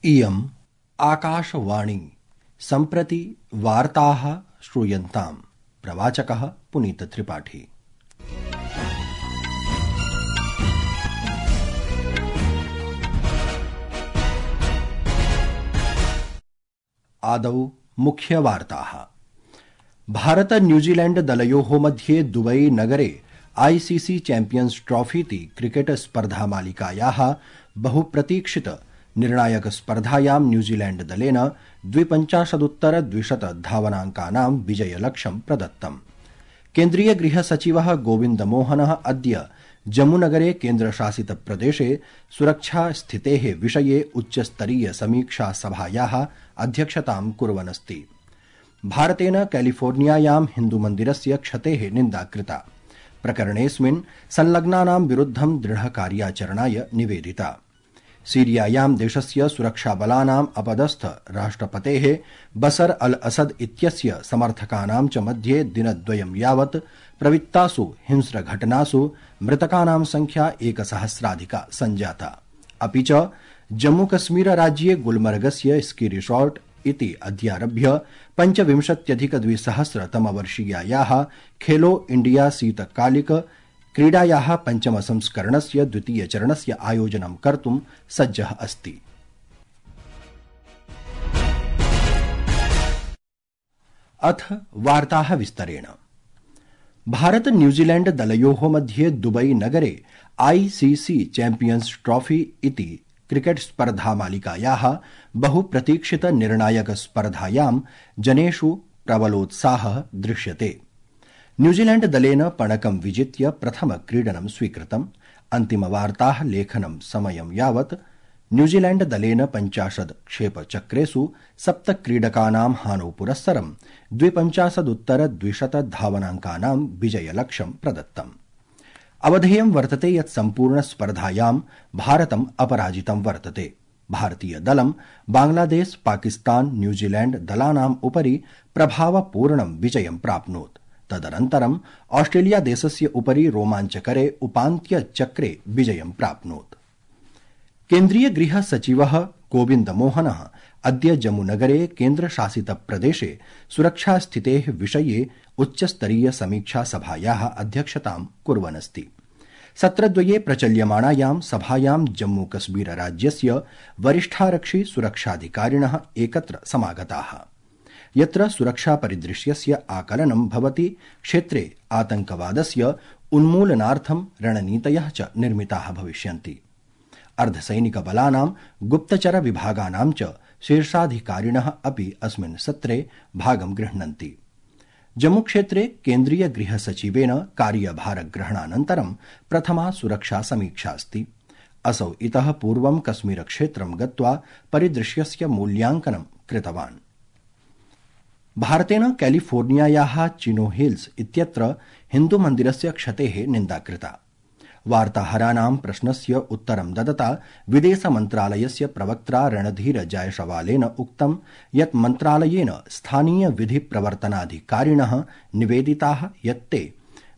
इयम् आकाशवाणी सम्प्रति वार्ताः श्रूयन्ताम्। प्रवाचकः पुनीतत्रिपाठी। आदौ मुख्यवार्ताः। भारत न्यूजीलैंड दलयोः मध्ये दुबई नगरे आईसीसी चैंपियंस ट्रॉफी इति क्रिकेट स्पर्धामालिकायाः बहुप्रतीक्षित निर्णायक स्पर्धायां न्यूजीलैंड दलेन 52-200 धावनांकानां विजयलक्ष्यं प्रदत्तम्। केन्द्रीय गृह सचिवः गोविंद मोहनः अद्य जम्मूनगरे केन्द्रशासित प्रदेशे सुरक्षा स्थितेः विषये उच्चस्तरीय समीक्षा सभायाः अध्यक्षतां कुर्वन् अस्ति। भारतेन कैलिफोर्नियायां हिन्दुमन्दिरस्य क्षतेः निन्दा कृता। प्रकरणेऽस्मिन् संलग्नानां विरुद्धं दृढकार्याचरणाय निवेदिता। सीरियायां देशस्य सुरक्षाबलानाम् अपदस्थ राष्ट्रपतेः बसर अल असद इत्यस्य समर्थकानां च मध्ये दिनद्वयं यावत् प्रवृत्तासु हिंस्रघटनासु मृतकानां संख्या 1000 सञ्जाता। अपि च जम्मूकश्मीरराज्ये गुलमर्गस्य स्की रिसॉर्ट इति अद्यारभ्य 25,200 तमवर्षीयायाः खेलो इंडिया शीतकालिक क्रीडायाः पञ्चमसंस्करणस्य द्वितीयचरणस्य आयोजनं कर्तुं सज्जः अस्ति। अथ वार्ताः विस्तरेण। भारत न्यूजीलैंड दलयोः मध्ये दुबई नगरे आईसीसी चैंपियंस ट्रॉफी इति क्रिकेट स्पर्धामालिकायाः बहुप्रतीक्षित निर्णायक स्पर्धायां जनेषु प्रबलोत्साहः दृश्यते। न्यूजीलैंड दलेन पणकं विजित्य प्रथम क्रीडनं स्वीकृतम्। अन्तिमवार्ताः लेखनं समयं यावत् न्यूजीलैंड दलेन 50 क्षेपचक्रेषु 7 क्रीडकानां हानौ पुरस्सरं 52-200 धावनांकानां विजयलक्ष्यं प्रदत्तम्। अवधेयं वर्तते यत् सम्पूर्ण स्पर्धायां भारतम् अपराजितं वर्तते। भारतीय दलं बांग्लादेश, पाकिस्तान, न्यूजीलैंड दलानाम् उपरि प्रभावपूर्णं विजयं प्राप्नोत्। तदनन्तरं ऑस्ट्रेलिया देशस्य उपरि रोमाञ्चकरे उपान्त्यचक्रे विजयं प्राप्नोत्। केन्द्रीय गृह सचिवः गोविंद मोहनः अद्य जम्मूनगरे केन्द्रशासित प्रदेशे सुरक्षास्थितेः विषये उच्चस्तरीय समीक्षा सभायाः अध्यक्षतां कुर्वन् अस्ति। सत्रद्वये प्रचल्यमाणायां सभायां जम्मूकश्मीर राज्यस्य वरिष्ठारक्षि सुरक्षाधिकारिणः एकत्र समागताः। यत्र सुरक्षा परिदृश्यस्य आकलनं भवति, क्षेत्रे आतंकवादस्य उन्मूलनार्थं रणनीतयः च निर्मिताः भविष्यन्ति। अर्धसैनिकबलानां गुप्तचर विभागानां च शीर्षाधिकारिणः अपि अस्मिन् सत्रे भागं गृह्णन्ति। जम्मूक्षेत्रे केन्द्रीय गृह सचिवेन कार्यभारग्रहणानन्तरं प्रथमा सुरक्षा समीक्षा अस्ति। असौ इतः पूर्वं कश्मीरक्षेत्रं गत्वा परिदृश्यस्य मूल्यांकनं कृतवान्। भारतेन कैलिफोर्नियायाः चिनो हिल्स इत्यत्र हिन्दुमन्दिरस्य क्षतेः निन्दा कृता। वार्ताहराणां प्रश्नस्य उत्तरं ददता विदेशमन्त्रालयस्य प्रवक्त्रा रणधीर जायसवालेन उक्तं यत् मन्त्रालयेन स्थानीय विधि प्रवर्तनाधिकारिणः निवेदिताः यत् ते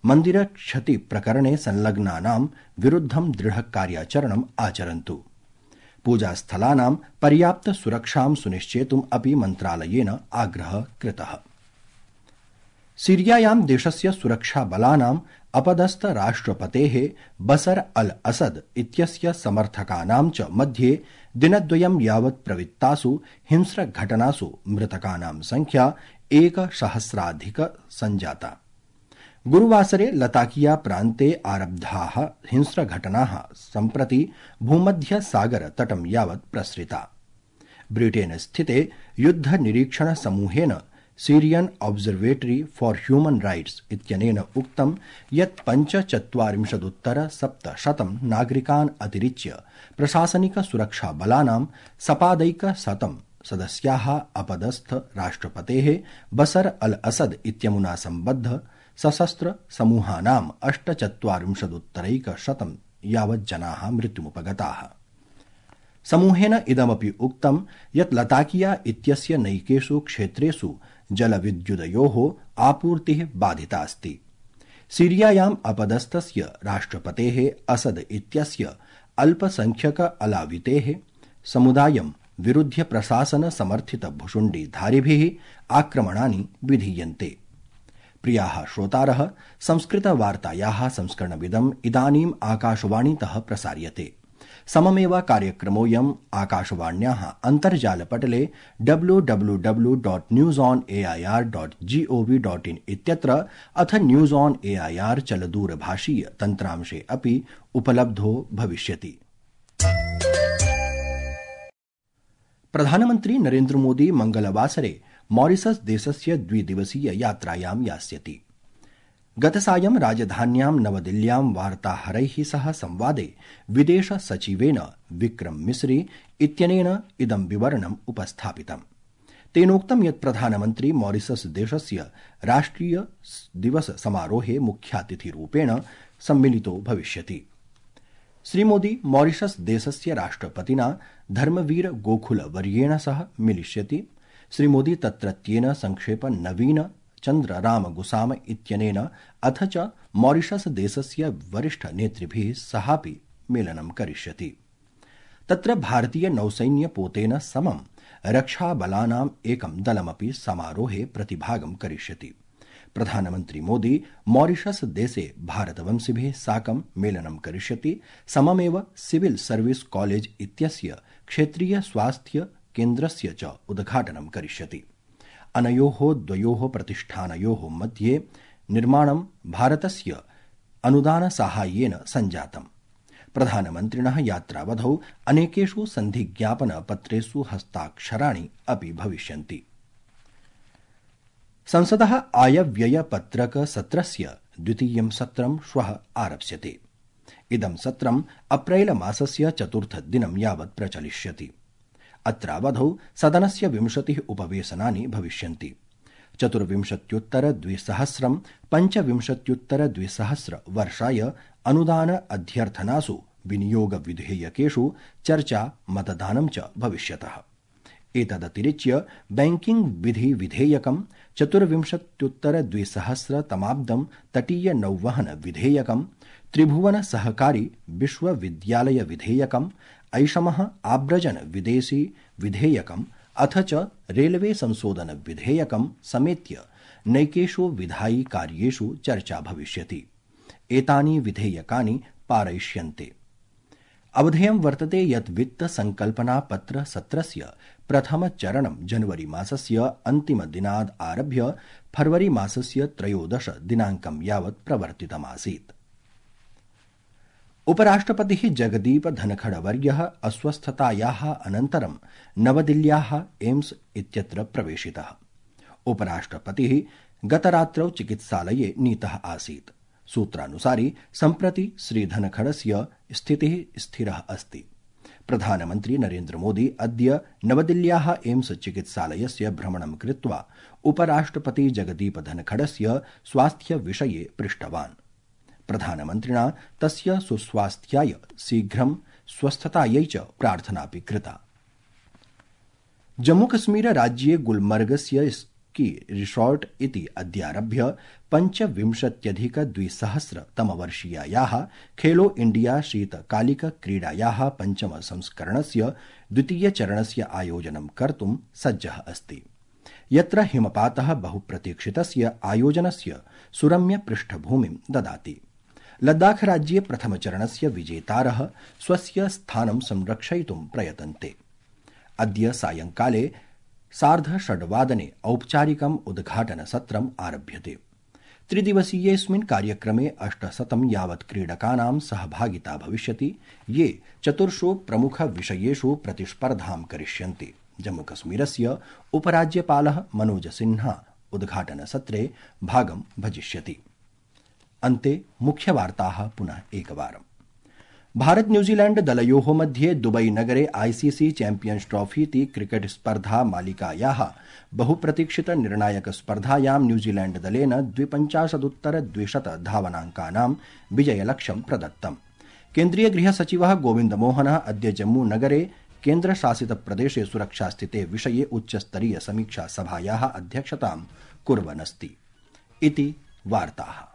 मन्दिरक्षति प्रकरणे संलग्नानां विरुद्धं दृढकार्याचरणम् आचरन्तु। पूजास्थलानां पर्याप्त सुरक्षां सुनिश्चेतुम् अपि मन्त्रालयेन आग्रहः कृतः। सीरियायां देशस्य सुरक्षाबलानाम् अपदस्थ राष्ट्रपतेः बसर अल असद इत्यस्य समर्थकानां च मध्ये दिनद्वयं यावत् प्रवृत्तासु हिंस्रघटनासु मृतकानां संख्या 1000 सञ्जाता। गुरुवासरे लताकिया प्रान्ते आरब्धाः हिंस्रघटनाः सम्प्रति भूमध्यसागर तटं यावत् प्रसृता। ब्रिटेन स्थिते युद्ध निरीक्षण समूहेन Syrian observatory for human rights इत्यनेन उक्तं यत् 45-700 नागरिकान् अतिरिच्य प्रशासनिक सुरक्षा बलानां सपादैकशतं सदस्याः अपदस्थ राष्ट्रपतेः बसर अल असद इत्यमुना सम्बद्ध सशस्त्र समूहानां 48-100 यावत् जनाः मृत्युमुपगताः। समूहेन इदमपि उक्तं यत् लताकिया इत्यस्य नैकेषु क्षेत्रेषु जलविद्युदयोः आपूर्तिः बाधिता अस्ति। सीरियायाम् अपदस्थस्य राष्ट्रपतेः असद इत्यस्य अल्पसंख्यक अलावितेः समुदायं विरुध्य प्रशासन समर्थित भुशुण्डिधारिभिः आक्रमणानि विधीयन्ते। प्रियाः श्रोतारः, संस्कृतवार्तायाः संस्करणमिदम् इदानीम् आकाशवाणीतः प्रसार्यते। सममेव कार्यक्रमोऽयम् आकाशवाण्याः अन्तर्जालपटले www.newsonair.gov.in इत्यत्र अथ न्यूज ऑन एआईआर चलदूरभाषीय तन्त्रांशे अपि उपलब्धो भविष्यति। प्रधानमन्त्री नरेन्द्र मोदी मंगलवासरे मॉरिशस देशस्य द्विदिवसीय यात्रायां यास्यति। गतसायं राजधान्यां नवदिल्ल्यां वार्ताहरैः सह संवादे विदेश सचिवेन विक्रम मिस्री इत्यनेन इदं विवरणम् उपस्थापितम्। तेनोक्तं यत् प्रधानमन्त्री मॉरिशस देशस्य राष्ट्रिय दिवस समारोहे मुख्यातिथिरूपेण सम्मिलितो भविष्यति। श्रीमोदी मॉरिशस देशस्य राष्ट्रपतिना धर्मवीर गोखुल वर्येण सह मिलिष्यति। श्रीमोदी तत्रत्येन संक्षेप नवीन चन्द्र राम गुसाम इत्यनेन अथ च मॉरिशस देशस्य वरिष्ठ नेतृभिः सहापि मेलनं करिष्यति। तत्र भारतीय नौसैन्य पोतेन समं रक्षाबलानाम् एकं दलमपि समारोहे प्रतिभागं करिष्यति। प्रधानमन्त्री मोदी मॉरिशस देशे भारतवंशिभिः साकं मेलनं करिष्यति। सममेव सिविल सर्विस कॉलेज इत्यस्य क्षेत्रीय स्वास्थ्य केन्द्रस्य च उद्घाटनं करिष्यति। अनयोः द्वयोः प्रतिष्ठानयोः मध्ये निर्माणं भारतस्य अनुदानसाहाय्येन सञ्जातम्। प्रधानमन्त्रिणः यात्रावधौ अनेकेषु सन्धिज्ञापनपत्रेषु हस्ताक्षराणि अपि भविष्यन्ति। संसदः आयव्ययपत्रकसत्रस्य द्वितीयं सत्रं श्वः आरप्स्यते। इदं सत्रम् अप्रैल मासस्य चतुर्थदिनं यावत् प्रचलिष्यति। अत्रावधौ सदनस्य 20 उपवेशनानि भविष्यन्ति। 24,200 25,200 वर्षाय अनुदान अध्यर्थनासु विनियोग विधेयकेषु चर्चा मतदानं च भविष्यतः। एतदतिरिच्य बैंकिंग विधि विधेयकं 24,200 तमाब्दं तटीय नौवहन विधेयकं त्रिभुवन सहकारी विश्वविद्यालय विधेयकं ऐषमः आव्रजन विदेशी विधेयकम् अथ च रेलवे संशोधन विधेयकं समेत्य नैकेषु विधायि कार्येषु चर्चा भविष्यति। एतानि विधेयकानि पारयिष्यन्ते। अवधेयं वर्तते यत् वित्त संकल्पना पत्र सत्रस्य प्रथम चरणं जनवरी मासस्य अन्तिमदिनाद् आरभ्य फरवरी मासस्य 13 दिनाङ्कं यावत् प्रवर्तितमासीत्। उपराष्ट्रपतिः जगदीप धनखडवर्यः अस्वस्थतायाः अनन्तरं नवदिल्ल्याः एम्स इत्यत्र प्रवेशितः। उपराष्ट्रपतिः गतरात्रौ चिकित्सालये नीतः आसीत्। सूत्रानुसारि सम्प्रति श्रीधनखडस्य स्थितिः स्थिरः अस्ति। प्रधानमन्त्री नरेन्द्र मोदी अद्य नवदिल्ल्याः एम्स चिकित्सालयस्य भ्रमणं कृत्वा उपराष्ट्रपति जगदीप धनखडस्य स्वास्थ्यविषये पृष्टवान्। प्रधानमन्त्रिणा तस्य सुस्वास्थ्याय शीघ्रं स्वस्थतायै च प्रार्थनापि कृता। जम्मूकश्मीर राज्ये गुलमर्गस्य स्की रिसॉर्ट इति अद्यारभ्य 25,200 तमवर्षीयायाः खेलो इंडिया शीतकालिकक्रीडायाः पञ्चम संस्करणस्य द्वितीयचरणस्य आयोजनं कर्तुं सज्जः अस्ति, यत्र हिमपातः बहुप्रतीक्षितस्य आयोजनस्य सुरम्य पृष्ठभूमिं ददाति। लद्दाख राज्ये प्रथमचरणस्य विजेतारः स्वस्य स्थानं संरक्षयितुं प्रयतन्ते। अद्य सायंकाले 6:30 औपचारिकम् उद्घाटनसत्रम् आरभ्यते। त्रिदिवसीयेऽस्मिन् कार्यक्रमे 800 यावत् क्रीडकानां सहभागिता भविष्यति, ये 4 प्रमुखविषयेषु प्रतिस्पर्धां करिष्यन्ति। जम्मूकश्मीरस्य उपराज्यपालः मनोज सिन्हा उद्घाटनसत्रे भागं भजिष्यति। अन्ते मुख्यवार्ताः पुनः एकवारम्। भारत न्यूजीलैंड दलयोः मध्ये दुबई नगरे आईसीसी चैंपियन्स ट्रॉफी इति क्रिकेट स्पर्धा मालिकायाः बहुप्रतीक्षित निर्णायक स्पर्धायां न्यूजीलैंड दलेन 52,200 धावनाङ्कानां विजयलक्ष्यं प्रदत्तम्। केन्द्रीय गृह सचिवः गोविन्द मोहनः अद्य जम्मू नगरे केन्द्रशासितप्रदेशे सुरक्षास्थिते विषये उच्चस्तरीय समीक्षा सभायाः अध्यक्षतां कुर्वन् अस्ति। इति वार्ताः।